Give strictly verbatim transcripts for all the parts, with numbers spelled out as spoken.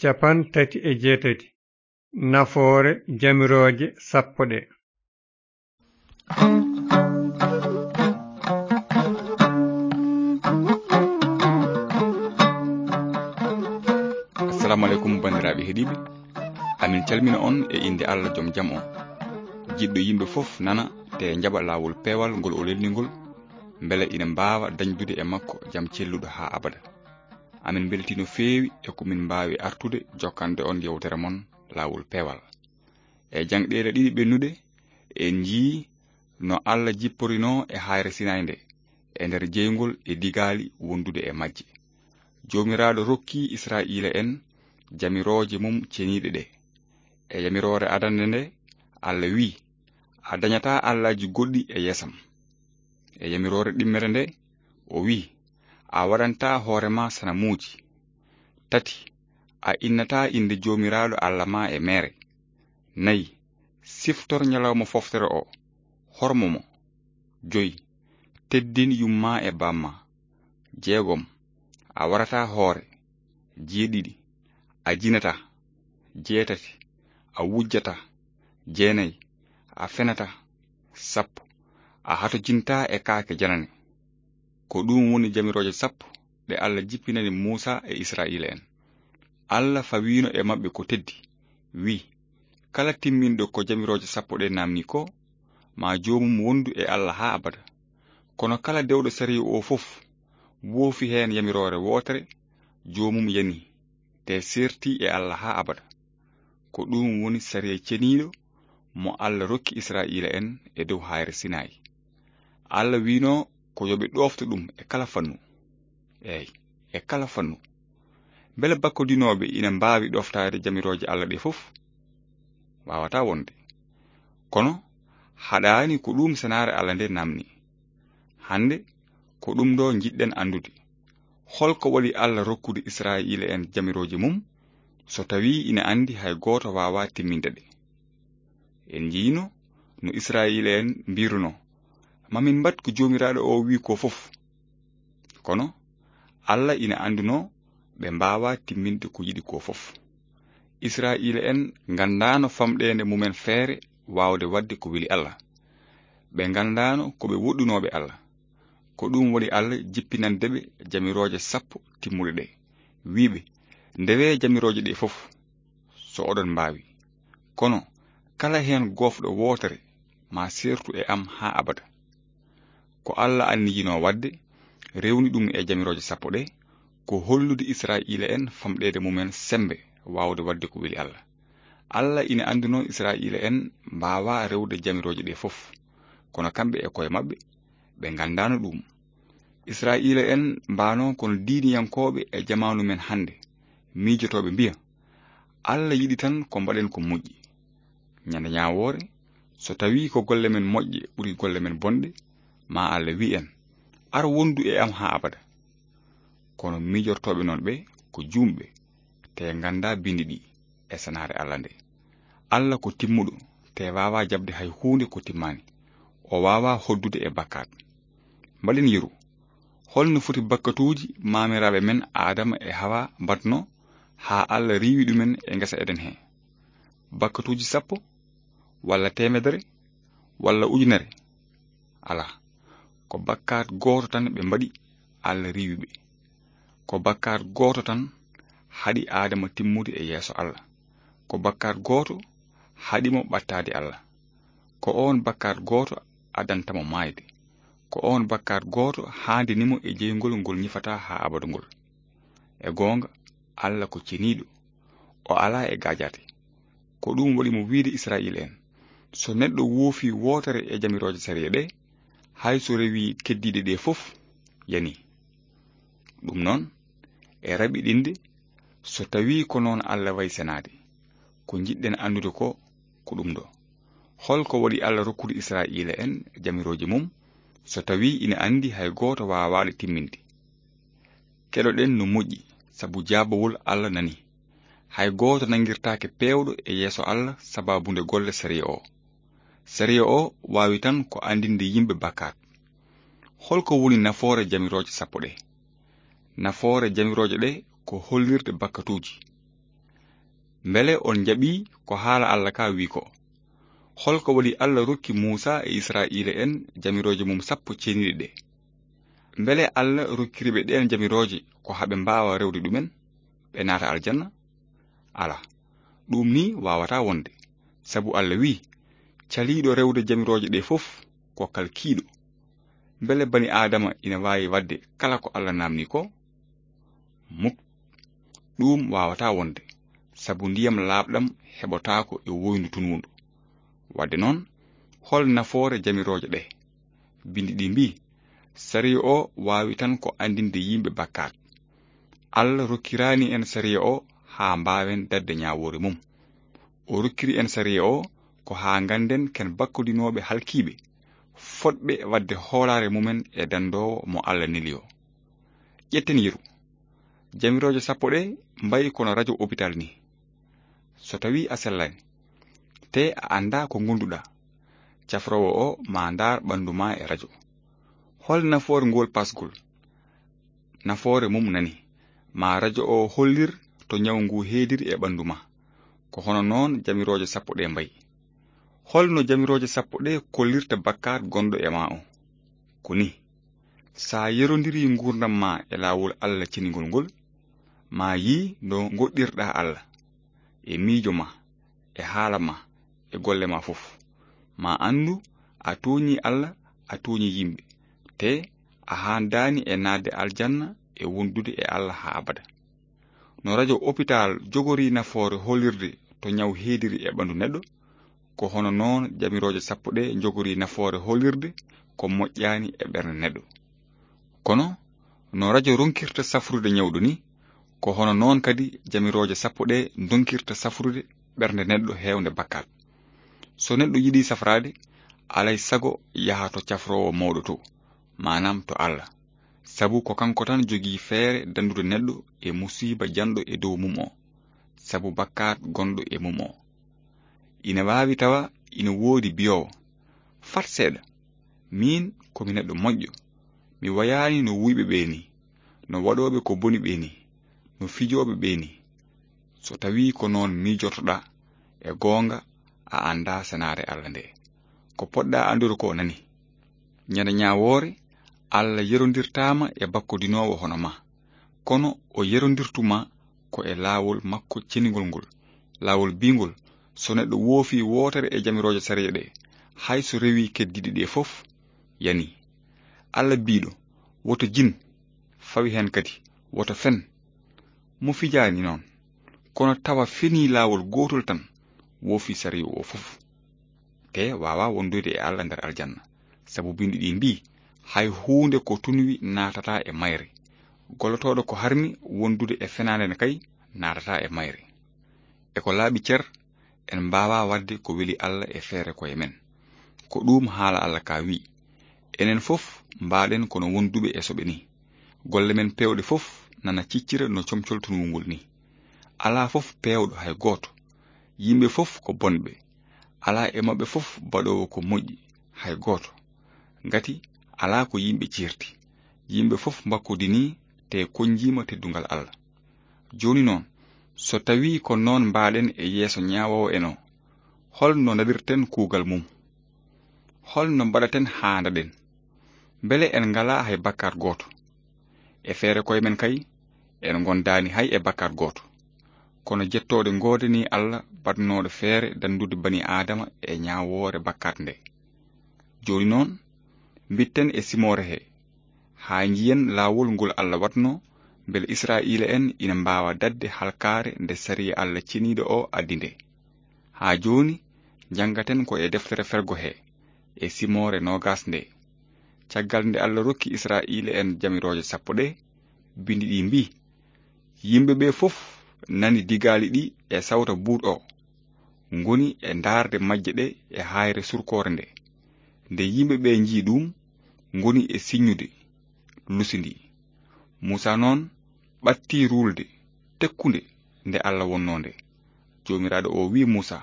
Cappanɗe tati e jeetati. Nafoore jamirooje sappo ɗe. Assalamu aleykum, banndiraaɓe heɗiiɓe. Amin calmina on e innde Allah, joom jam on. Jiɗɗo yimɓe fof nana te jaɓa laawol peewal ngol o lelni ngol, mbele ina mbaawa dañdude e makko jam celluɗo haa abada. Amin mbeltii no feewi e ko min mbaawi artude jokkande on yewtere mon laawol peewal. E jangɗeele ɗiɗi ɓennuɗe, en njii no Allah jipporinoo e haayre Sinaay nde, e nder jeyngol e digaali wondude e majje. Joomiraaɗo rokki Israa'iila en jamirooje mum ceniiɗe ɗe. E yamiroore adannde nde, Allah wi'i, "A dañataa allaaji goɗɗi e yeesam." E yamiroore ɗimmere nde, o wi'i, "A waɗantaa hoore ma sanamuuji." Tati, "A innataa innde Joomiraaɗo Allah ma e meere." Nayi, "Siftor ñalawma foftere o, hormo mo." Joyi, "Teddin yumma e bamma." Jeegom, "A warataa hoore." Jeeɗiɗi, "A jinataa." Jeetati, "A wujjataa." Jeenayi, "A fenataa." Sappo, "A hatojintaa e kaake janane." Ko ɗum woni jamirooje sappo ɗe Allah jippinani Muusa e Israa'iila en. Allah fawiino e maɓɓe ko teddi, wi'i, "Kala timminɗo ko jamirooje sappo ɗe naamni ko, ma joomum wondu e Allah haa abada. Kono kala dewɗo sariya o fof, woofi heen yamiroore wootere, joomum yani, te seerti e Allah haa abada." Ko ɗum woni sariya ceniiɗo mo Allah rokki Israa'iila en e dow haayre Sinaay. Allah wi'no ko yo ɓe ɗoofto ɗum e kala fannu. Eey, e kala fannu. Mbele bakkodinooɓe ina mbaawi ɗoftaade jamirooje Allah ɗe fof? Waawataa wonde. Kono haɗaani ko ɗum senaare Allah nde naamni. Hannde ko ɗum ɗo njiɗɗen anndude. Holko waɗi Allah rokkude Israa'iila en jamirooje mum, so tawii ina anndi hay gooto waawaa timminde ɗe? En njiino no Israa'iila en mbiruno, "Ma min mbaɗ ko Joomiraaɗo o wi'i ko fof." Kono Allah ina anndunoo ɓe mbaawaa timminde ko yiɗi ko fof. Israa'iila en nganndaano famɗeende mumen feere waawde waɗde ko weli Allah. Ɓe nganndaano ko ɓe woɗɗunooɓe Allah. Ko ɗum waɗi Allah jippinande ɓe jamirooje sappo timmuɗe ɗe, wi'i ɓe, "Ndewee jamirooje ɗe fof, so oɗon mbaawi. Kono kala heen goofɗo wootere ma seertu e am haa abada." Ko Allah anniyinoo waɗde, rewni ɗum e jamirooje sappo ɗe, ko hollude Israa'iila en famɗeede mumen semmbe waawde waɗde ko weli Allah. Allah ina anndunoo Israa'iila en mbaawaa rewde jamirooje ɗe fof, kono kamɓe e koye maɓɓe, ɓe nganndaano ɗum. Israa'iila en mbaano kono diiniyankooɓe e jamaanu men hannde, miijotooɓe mbiya, "Allah yiɗi tan ko mbaɗen ko moƴƴi." Ñande ñaawoore, so tawii ko golle men moƴƴe ɓuri golle men bonɗe, ma Allah wi' en, "Ar wondu e am haa abada." Kono miijortooɓe noon ɓe ko juumɓe, te nganndaa binndi ɗi e senaare Allah nde. Allah ko timmuɗo, te waawaa jaɓde hay huunde ko timmaani. O waawaa hoddude e bakkaat. Mbaɗen yeru. Holno foti bakkatuuji maamiraaɓe men Aadama e Hawa mbaɗno haa Allah riiwi ɗumen e ngesa Eden he? Bakkatuuji sappo, walla teemedere, walla ujunere? Alaa. Ko bakkaat gooto tan ɓe mbaɗi, Allah riiwi ɓe. Ko bakkaat gooto tan haɗi Aadama timmude e yeeso Allah. Ko bakkaat gooto haɗi mo ɓattaade Allah. Ko oon bakkaat gooto addanta mo maayde. Ko oon bakkaat gooto haandini mo e jeyngol ngol ñifataa haa abada ngol. E goonga, Allah ko ceniiɗo. O alaa e gaajaate. Ko ɗum waɗi mo wiide Israa'iila en, "So neɗɗo woofii wootere e jamirooje sariya ɗe, hay so rewii keddiiɗe ɗe fof, yanii." Ɗum noon, e raɓiɗinde, so tawii ko noon Allah wayi senaade, ko njiɗɗen anndude ko, ko ɗum ɗo. Holko waɗi Allah rokkude Israa'iila en jamirooje mum, so tawii ina anndi hay gooto waawaa ɗe timminde? Keɗoɗen no moƴƴi, sabu jaabawol Allah nani. Hay gooto nanngirtaake peewɗo e yeeso Allah sabaabu nde golle sariya o. Sariya o waawi tan ko anndinde yimɓe bakkaat. Holko woni nafoore jamirooje sappo ɗe? Nafoore jamirooje ɗe ko hollirde bakkatuuji. Mbele on njaɓi ko haala Allah ka wi ko? Holko waɗi Allah rokki Muusa e Isra'iila'en jamirooje mum sappo ceniiɗe ɗe? Mbele Allah rokkiri ɓe ɗeen jamirooje ko haa ɓe mbaawa rewde ɗumen, ɓe naata aljanna? Alaa, ɗum ni waawataa wonde, sabu Allah wi, "Caliiɗo rewde jamirooje ɗe fof ko kalkiiɗo." Mbele bani Aadama ina waawi waɗde kala ko Allah naamni ko? Muk, ɗum waawataa wonde, sabu ndiyam laaɓɗam heɓotaako e woyndu tunwundu. Waɗde noon, hol nafoore jamirooje ɗe? Binndi ɗi mbii, sariya o waawi tan ko anndinde yimɓe bakkaat. Allah rokkiraani en sariya o haa mbaawen daɗde ñaawoore mum. O rokkiri en sariya o ko haa ngannden ken bakkodinooɓe halkiiɓe, fotɓe waɗde hoolaare mumen e danndoowo mo Allah neli o. Ƴetten yeru. Jamirooje sappo ɗe mbayi kono rajo opital ni. So tawii a sellaani, te a anndaa ko ngonduɗaa, cafroowo o ma ndaar ɓanndu ma e rajo. Hol nafoore ngol pasgol? Nafoore mum nani, ma rajo o hollir to ñaw ngu heediri e ɓanndu ma. Ko hono noon jamirooje sappo ɗe mbayi. Holno jamirooje sappo ɗe kollirta bakkaat gonɗo e ma o? Ko ni, sa yerondiri nguurndam ma e laawol Allah ceningol ngol, ma yii no ngoɗɗirɗa Allah, e miijo ma, e haala ma, e golle ma fof. Ma anndu a tooñi Allah, a tooñi yimɓe, te a haandaani e naatde aljanna e wondude e Allah haa abada. No rajo opital jogori nafoore hollirde to ñaw heediri e ɓanndu neɗɗo, ko hono noon jamirooje sappo ɗe njogori nafoore hollirde ko moƴƴaani e ɓernde neɗɗo. Kono no rajo ronkirta safrude ñawɗo ni, ko hono noon kadi jamirooje sappo ɗe ndonkirta safrude ɓernde neɗɗo heewnde bakkaat. So neɗɗo yiɗi safraade, alay sago yaha to cafroowo mawɗo to, maanaam to Allah. Sabu ko kanko tan jogii feere danndude neɗɗo e musiiba janɗo e dow mum o, sabu bakkaat gonɗo e mum o. Ina waawi tawa ina woodi biyoowo, "Fat seeɗa, miin ko mi neɗɗo moƴƴo, mi wayaani no wuyɓe ɓe ni, no waɗooɓe ko boni ɓe ni, no fijooɓe ɓe ni." So tawii ko noon miijortoɗaa, e goonga a anndaa senaare Allah nde. Ko poɗɗaa anndude ko nani. Ñande ñaawoore, Allah yerondirtaama e bakkodinoowo hono ma, kono o yerondirtu ma ko e laawol makko ceningol ngol, laawol biingol, so neɗɗo woofi wootere e jamirooje sariya ɗe, hay so rewi keddiiɗe ɗe fof, yani. Allah biiɗo, "Woto jin," fawi heen kadi, "Woto fen." Mo fijaani noon, kono tawa fenii laawol gootol tan, woofi sariya o fof. Te waawa wondude e Allah nder aljanna, sabu binndi ɗi mbii, "Hay huunde ko tunwi naatataa e mayre. Gollotooɗo ko harmi wondude e fenaande ne kay naatataa e mayre." E ko laaɓi cer, en mbaawaa waɗde ko weli Allah e feere koye men. Ko ɗuum haala Allah ka wi, "Enen fof mbaaɗen kono wonduɓe e soɓe ni. Golle men peewɗe fof nana ciccira no comcol tunwungol ni." Alaa fof peewɗo hay gooto. Yimɓe fof ko bonɓe. Alaa e maɓɓe fof baɗoowo ko moƴƴi hay gooto. Ngati alaa ko yimɓe ciirti. Yimɓe fof mbakkudinii te konjiima teddungal Allah. Jooni noon, so tawii ko noon mbaaɗen e yeeso ñaawoowo en o, hol no ndaɗirten kuugal mum? Hol no mbaɗaten haa ndaɗen? Mbele en ngalaa hay bakkaat gooto? E feere koye men kay, en ngondaani hay e bakkaat gooto. Kono jettoode ngoodanii Allah baɗnooɗo feere danndude bani Aadama e ñaawoore bakkaat nde. Jooni noon, mbitten e simoore he, haa njiyen laawol ngol Allah waɗno, mbele Israa'iila'en ina mbaawa daɗde halkaare nde sariya Allah ceniiɗo o addi nde. Haa jooni, njanngaten ko e deftere fergo he, e simoore noogas nde. Caggal nde Allah rokki Israa'iila'en jamirooje sappo ɗe, binndi ɗi mbii, "Yimɓe ɓe fof nani digaali ɗi e sawta buuɗ o, ngoni e ndaarde majje ɗe e haayre surkoore nde. Nde yimɓe ɓe njii ɗum, ngoni e siññude, lusindi." Muusa noon ɓatti ruulde tekkunde nde Allah wonnoo nde. Joomiraaɗo o wi'i Muusa,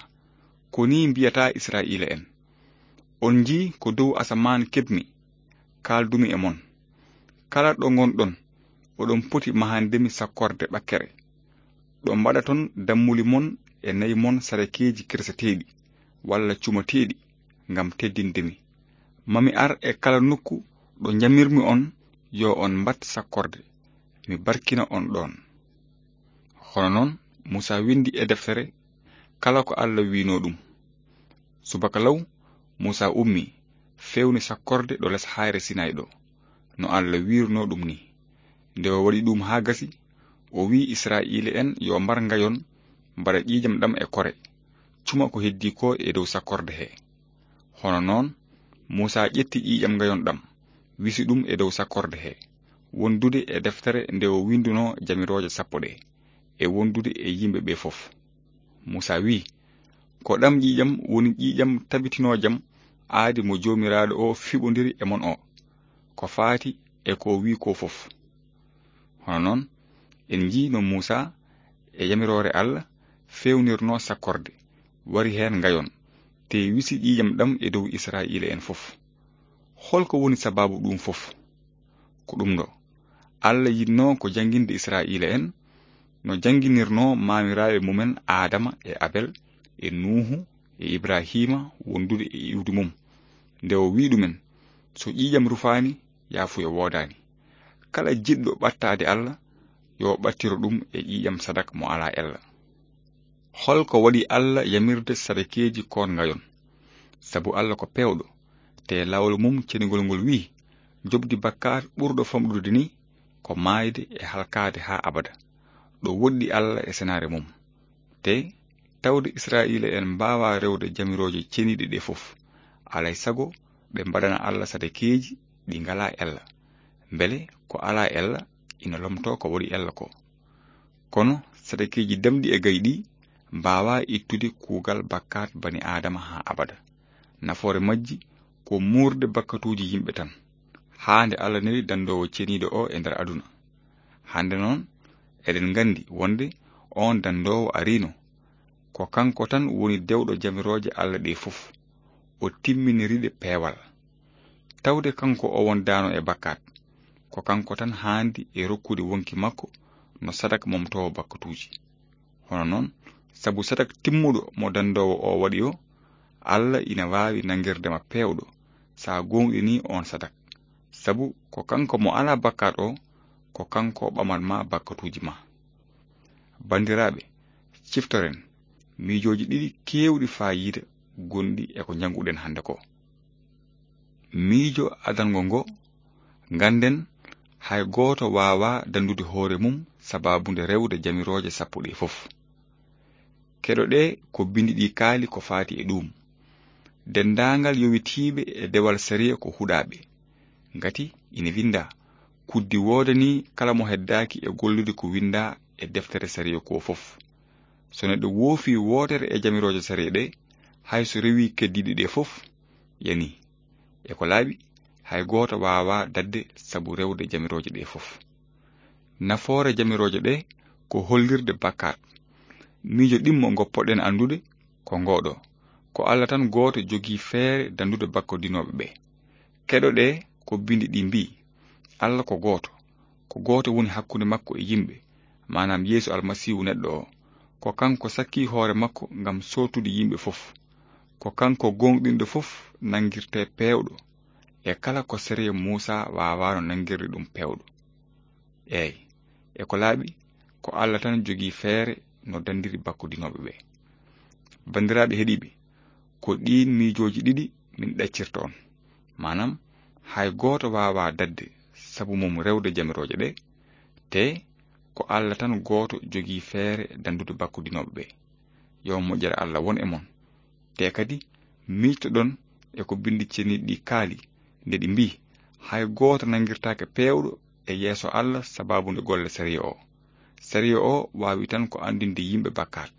"Ko nii mbiyataa Israa'iila'en, 'On njii ko dow asamaan keɓmi, kaaldumi e mon. Kala ɗo ngonɗon, oɗon poti mahandemi sakkorde ɓakkere. Ɗo mbaɗaton dammuli mon e nayi mon sarakeeji kirseteeɗi walla cumateeɗi ngam teddinde mi. Mami ar e kala nokku ɗo njamirmi on, yo on mbat sakkorde, mi barkina on ɗon." Hono noon, Muusa windi e deftere kala ko Alla wi'no ɗum. Subaka law, Muusa ummi, fewni sakkorde ɗo les hayre Sinay ɗo, no Alla wi'irno ɗum ni. Nde o waɗi ɗum haa gasi, o wi'i Isra'iila'en yo mbar ngayon, mbaɗa ƴiiƴam ɗam e kore, cuma ko heddi ko e dow sakkorde he. Hono noon, Muusa ƴetti ƴiiƴam ngayon ɗam, wisi ɗum e dow sakkorde he, wondude e deftere nde o winduno jamirooje sappo ɗe, e wondude e yimɓe ɓe fof. Muusa wi'i, "Ko ɗam ƴiiƴam woni ƴiiƴam tabitinoojam aadi mo Joomiraaɗo o fiɓondiri e mon o, ko faati e ko o wi'i ko fof." Hono noon, en njii no Muusa e yamiroore Alla fewnirno sakkorde, wari heen ngayon, te wisi ƴiiƴam ɗam e dow Isra'iila'en fof. Hol ko woni sabaabu ɗum fof? Ko ɗum ɗo, Alla yiɗno ko jannginde Isra'iila'en, no jannginirno maamiraaɓe mumen Aadama e Abel e Nuuhu e Ibrahiima wondude e iwdi mum, nde o wi'i ɗumen, "So ƴiiƴam rufaani, yaafuya woodaani. Kala jiɗɗo ɓattaade Alla, yo ɓattiro ɗum e ƴiiƴam sadak mo alaa ella." Hol ko waɗi Alla yamirde sadakeeji koon ngayon? Sabu Alla ko peewɗo, te laawol mum cenigol ngol wi'i, "Njoɓdi bakkaat ɓurɗo famɗude ni ko maayde e halkaade haa abada." Ɗo woɗɗi Alla e senaare mum. Te tawde Isra'iila'en mbaawaa rewde jamirooje ceniiɗe ɗe fof, alay sago ɓe mbaɗana Alla sadakeeji ɗi ngalaa ella. Mbele ko alaa ella ina lomtoo ko waɗi ella ko. Kono sadakeeji damɗi e gayɗi mbaawaa ittude kuugal bakkaat bani Aadama haa abada. Nafoore majji ko muurde bakkatuuji yimɓe tan, haa nde Alla neli dandoowo ceniiɗo o e nder aduna. Hannde noon, eɗen nganndi wonde oon dandoowo ariino. Ko kanko tan woni dewɗo jamirooje Alla ɗe fof. O timminiri ɗe peewal. Tawde kanko o wondaano e bakkaat, ko kanko tan haandi e rokkude wonki makko no sadak momtoowo bakkatuuji. Hono noon, sabu sadak timmuɗo mo dandoowo o waɗi o, Alla ina waawi nanngirde ma peewɗo, so a gooŋɗinii oon sadak. Sabu ko kanko mo alaa bakkaat o, ko kanko ɓamat ma bakkatuuji ma. Banndiraaɓe, ciftoren miijooji ɗiɗi keewɗi faayiida gonɗi e ko njannguɗen hannde ko. Miijo adango ngo, ngannden hay gooto waawaa dandude hoore mum sabaabu nde rewde jamirooje sappo ɗe fof. Keɗoɗee ko binndi ɗi kaali ko faati e ɗuum. Denndaangal yowitiiɓe e dewal sariya ko huɗaaɓe. Ngati ina winndaa, "Kuddi woodanii kala mo heddaaki e gollude ko winndaa e deftere sariya ko fof." So neɗɗo woofii wootere e jamirooje sariya ɗe, hay so rewii keddiiɗe ɗe fof, yanii. E ko laaɓi, hay gooto waawaa daɗde sabu rewde jamirooje ɗe fof. Nafoore jamirooje ɗe ko hollirde bakkaat. Miijo ɗimmo ngo poɗɗen anndude ko ngoo ɗo. Ko Alla tan gooto jogii feere dandude bakkodinooɓe ɓe. Keɗoɗee ko binndi ɗi mbi'i, Alla ko gooto. Ko gooto woni hakkunde makko e yimɓe, maanaam Yeesu Almasiihu neɗɗo o. Ko kanko sakkii hoore makko ngam sootude yimɓe fof. Ko kanko gooŋɗinɗo fof nanngirtee peewɗo, e kala ko sariya Muusa waawaano nanngirde ɗum peewɗo. Eey, e ko laaɓi, ko Alla tan jogii feere no danndiri bakkodinooɓe ɓe. Banndiraaɓe heɗiiɓe, ko ɗiin miijooji ɗiɗi min ɗaccirta on. Maanaam, hay gooto waawaa daɗde sabu mum rewde jamirooje ɗe, te ko Alla tan gooto jogii feere danndude bakkodinooɓe ɓe. Yo moƴƴere Alla won e mon. Te kadi, miijtoɗon e ko binndi ceniiɗi ɗi kaali, nde ɗi mbi'i, "Hay gooto nanngirtaake peewɗo e yeeso Alla sabaabu nde golle sariya o." Sariya o waawi tan ko anndinde yimɓe bakkaat.